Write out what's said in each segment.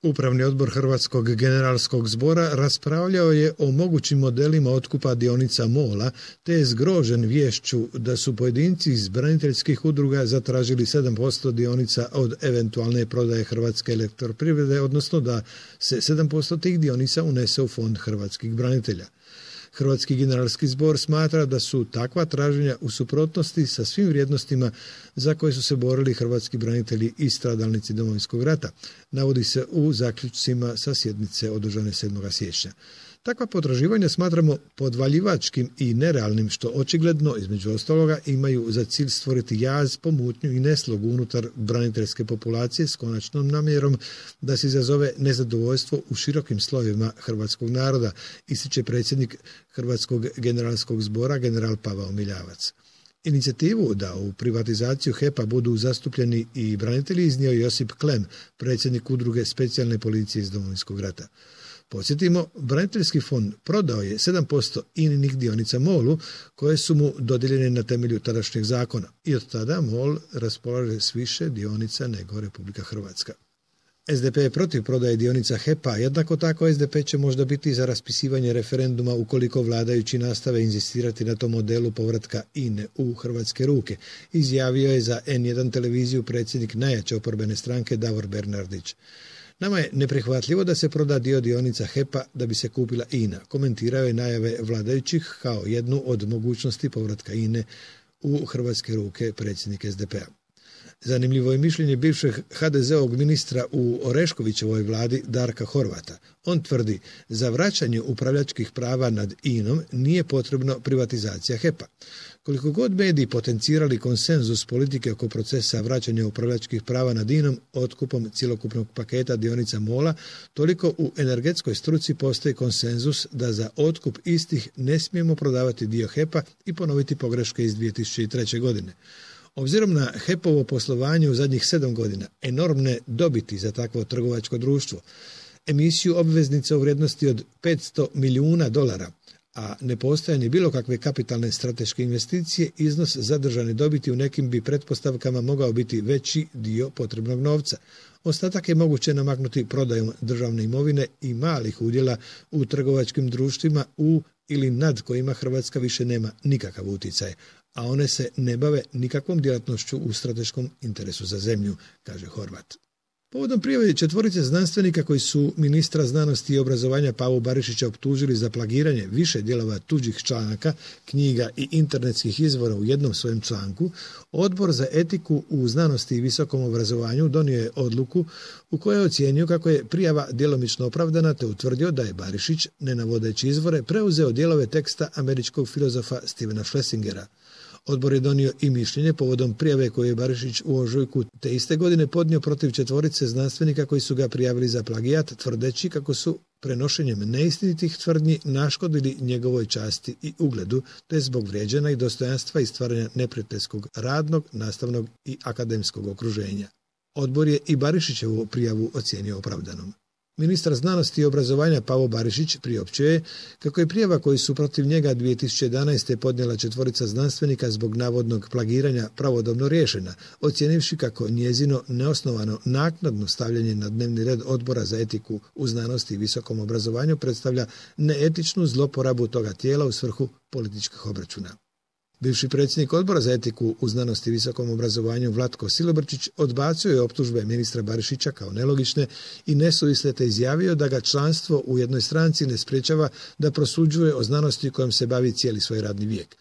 Upravni odbor Hrvatskog generalskog zbora raspravljao je o mogućim modelima otkupa dionica MOL-a, te je zgrožen viješću da su pojedinci iz braniteljskih udruga zatražili 7% dionica od eventualne prodaje Hrvatske elektroprivrede, odnosno da se 7% tih dionica unese u fond hrvatskih branitelja. Hrvatski generalski zbor smatra da su takva traženja u suprotnosti sa svim vrijednostima za koje su se borili hrvatski branitelji i stradalnici Domovinskog rata, navodi se u zaključcima sa sjednice održane 7. siječnja. Takva potraživanja smatramo podvaljivačkim i nerealnim, što očigledno, između ostaloga, imaju za cilj stvoriti jaz, pomutnju i neslogu unutar braniteljske populacije s konačnom namjerom da se izazove nezadovoljstvo u širokim slojevima hrvatskog naroda, ističe predsjednik Hrvatskog generalskog zbora general Pavao Miljavac. Inicijativu da u privatizaciju HEP-a budu zastupljeni i branitelji iznio Josip Klem, predsjednik udruge specijalne policije iz Domovinskog rata. Podsjetimo, braniteljski fond prodao je 7% INA-inih dionica MOL-u koje su mu dodijeljene na temelju tadašnjeg zakona i od tada MOL raspolaže s više dionica nego Republika Hrvatska. SDP je protiv prodaje dionica HEP-a, jednako tako SDP će možda biti za raspisivanje referenduma ukoliko vladajući nastave inzistirati na tom modelu povratka INA-e u hrvatske ruke, izjavio je za N1 televiziju predsjednik najjače oporbene stranke Davor Bernardić. Nama je neprihvatljivo da se proda dio dionica HEP-a da bi se kupila INA, komentirao je najave vladajućih kao jednu od mogućnosti povratka INA-e u hrvatske ruke predsjednik SDP-a. Zanimljivo je mišljenje bivšeg HDZ-ovog ministra u Oreškovićevoj vladi Darka Horvata. On tvrdi, za vraćanje upravljačkih prava nad INA-om nije potrebno privatizacija HEP-a. Koliko god mediji potencirali konsenzus politike oko procesa vraćanja upravljačkih prava nad INA-om otkupom cjelokupnog paketa dionica MOL-a, toliko u energetskoj struci postoji konsenzus da za otkup istih ne smijemo prodavati dio HEP-a i ponoviti pogreške iz 2003. godine. Obzirom na HEP-ovo poslovanje u zadnjih 7 godina, enormne dobiti za takvo trgovačko društvo, emisiju obveznica u vrijednosti od $500 milijuna, a nepostojanje bilo kakve kapitalne strateške investicije, iznos zadržane dobiti u nekim bi pretpostavkama mogao biti veći dio potrebnog novca. Ostatak je moguće namaknuti prodajom državne imovine i malih udjela u trgovačkim društvima u ili nad kojima Hrvatska više nema nikakav utjecaj, a one se ne bave nikakvom djelatnošću u strateškom interesu za zemlju, kaže Horvat. Povodom prijave 4 znanstvenika koji su ministra znanosti i obrazovanja Pavu Barišića optužili za plagiranje više dijelova tuđih članaka, knjiga i internetskih izvora u jednom svojem članku, Odbor za etiku u znanosti i visokom obrazovanju donio je odluku u kojoj je ocijenio kako je prijava djelomično opravdana te utvrdio da je Barišić, ne navodeći izvore, preuzeo dijelove teksta američkog filozofa Stevena Schlesingera. Odbor je donio i mišljenje povodom prijave koju je Barišić u ožujku te iste godine podnio protiv 4 znanstvenika koji su ga prijavili za plagijat, tvrdeći kako su prenošenjem neistinitih tvrdnji naškodili njegovoj časti i ugledu, te zbog vrijeđanja i dostojanstva i stvaranja neprijateljskog radnog, nastavnog i akademskog okruženja. Odbor je i Barišićevu prijavu ocijenio opravdanom. Ministar znanosti i obrazovanja Pavo Barišić priopćio je kako je prijava koju su protiv njega 2011. podnijela 4 znanstvenika zbog navodnog plagiranja pravodobno riješena, ocijenivši kako njezino neosnovano naknadno stavljanje na dnevni red Odbora za etiku u znanosti i visokom obrazovanju predstavlja neetičnu zloporabu toga tijela u svrhu političkih obračuna. Bivši predsjednik Odbora za etiku u znanosti i visokom obrazovanju Vlatko Silobrčić odbacio je optužbe ministra Barišića kao nelogične i nesuvisle te izjavio da ga članstvo u jednoj stranci ne sprječava da prosuđuje o znanosti kojom se bavi cijeli svoj radni vijek.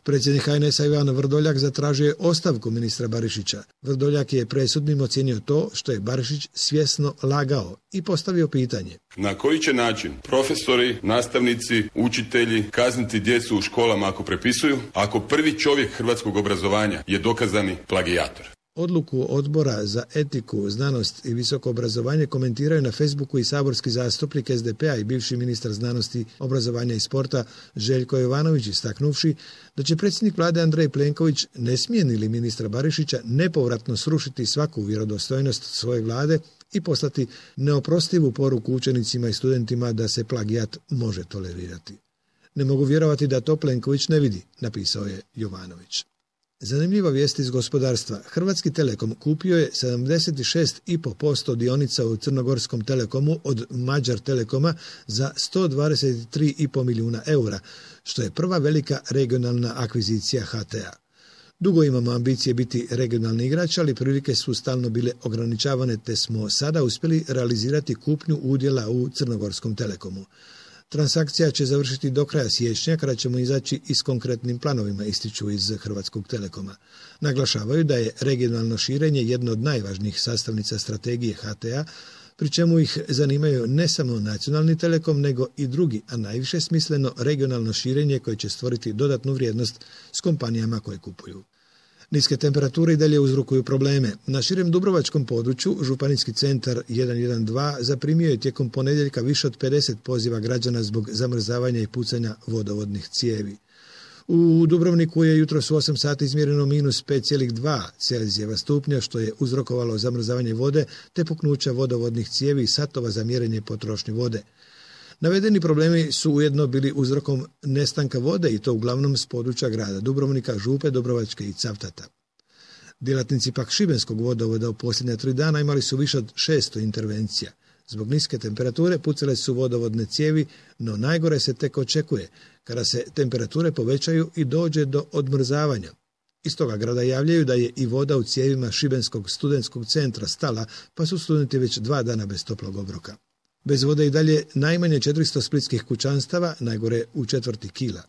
Predsjednik HNS-a Ivan Vrdoljak zatražio je ostavku ministra Barišića. Vrdoljak je presudnim ocijenio to što je Barišić svjesno lagao i postavio pitanje. Na koji će način profesori, nastavnici, učitelji kazniti djecu u školama ako prepisuju, ako prvi čovjek hrvatskog obrazovanja je dokazani plagijator? Odluku Odbora za etiku, znanost i visoko obrazovanje komentiraju na Facebooku i saborski zastupnik SDP-a i bivši ministar znanosti, obrazovanja i sporta Željko Jovanović, istaknuvši da će predsjednik vlade Andrej Plenković, ne smijeni li ministra Barišića, nepovratno srušiti svaku vjerodostojnost svoje vlade i poslati neoprostivu poruku učenicima i studentima da se plagijat može tolerirati. Ne mogu vjerovati da to Plenković ne vidi, napisao je Jovanović. Zanimljiva vijest iz gospodarstva. Hrvatski Telekom kupio je 76,5% dionica u Crnogorskom Telekomu od Mađar Telekoma za 123,5 milijuna eura, što je prva velika regionalna akvizicija HT-a. Dugo imamo ambicije biti regionalni igrač, ali prilike su stalno bile ograničavane, te smo sada uspjeli realizirati kupnju udjela u Crnogorskom Telekomu. Transakcija će završiti do kraja siječnja, kada ćemo izaći i s konkretnim planovima, ističu iz Hrvatskog Telekoma. Naglašavaju da je regionalno širenje jedno od najvažnijih sastavnica strategije HT-a, pri čemu ih zanimaju ne samo nacionalni telekom, nego i drugi, a najviše smisleno regionalno širenje koje će stvoriti dodatnu vrijednost s kompanijama koje kupuju. Niske temperature i dalje uzrokuju probleme. Na širem dubrovačkom području Županijski centar 112 zaprimio je tijekom ponedjeljka više od 50 poziva građana zbog zamrzavanja i pucanja vodovodnih cijevi. U Dubrovniku je jutros u 8 sati izmjereno minus 5,2 Celzijeva stupnja, što je uzrokovalo zamrzavanje vode te puknuća vodovodnih cijevi i satova za mjerenje potrošnje vode. Navedeni problemi su ujedno bili uzrokom nestanka vode i to uglavnom s područja grada Dubrovnika, Župe, Dobrovačke i Cavtata. Djelatnici pak Šibenskog vodovoda u posljednja 3 dana imali su više od 600 intervencija. Zbog niske temperature pucale su vodovodne cijevi, no najgore se tek očekuje kada se temperature povećaju i dođe do odmrzavanja. Iz toga grada javljaju da je i voda u cijevima Šibenskog studentskog centra stala, pa su studenti već 2 dana bez toplog obroka. Bez vode i dalje najmanje 400 splitskih kućanstava, najgore u četvrti kila.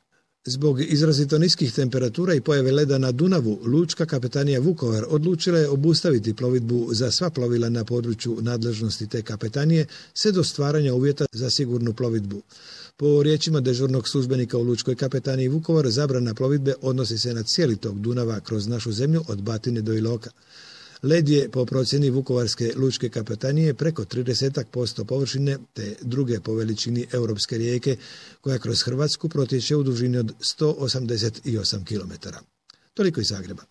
Zbog izrazito niskih temperatura i pojave leda na Dunavu, Lučka kapetanija Vukovar odlučila je obustaviti plovidbu za sva plovila na području nadležnosti te kapetanije, sve do stvaranja uvjeta za sigurnu plovidbu. Po riječima dežurnog službenika u Lučkoj kapetaniji Vukovar, zabrana plovidbe odnosi se na cijeli tok Dunava kroz našu zemlju od Batine do Iloka. Led je po procjeni Vukovarske lučke kapetanije preko 30% površine te druge po veličini europske rijeke koja kroz Hrvatsku protječe u dužini od 188 km. Toliko iz Zagreba.